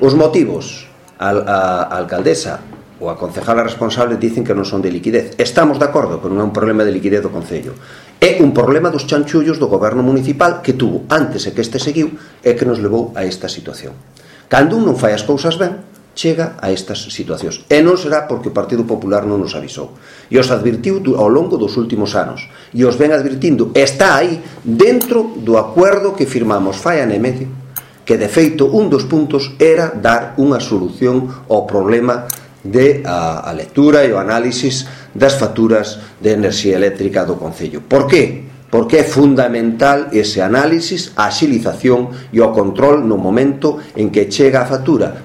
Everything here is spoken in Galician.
Os motivos, a alcaldesa ou a concejala responsable dicen que non son de liquidez. Estamos de acordo que non é un problema de liquidez do Concello, é un problema dos chanchullos do goberno municipal que tuvo antes e que este seguiu e que nos levou a esta situación. Cando un non fai as cousas ben, chega a estas situacións, e non será porque o Partido Popular non nos avisou, e os advirtiu ao longo dos últimos anos, e os ven advirtindo, está aí dentro do acordo que firmamos fai ano e medio, que de feito un dos puntos era dar unha solución ao problema de a lectura e o análisis das facturas de enerxía eléctrica do Concello. Por qué? Porque é fundamental ese análisis, a axilización e o control no momento en que chega a factura,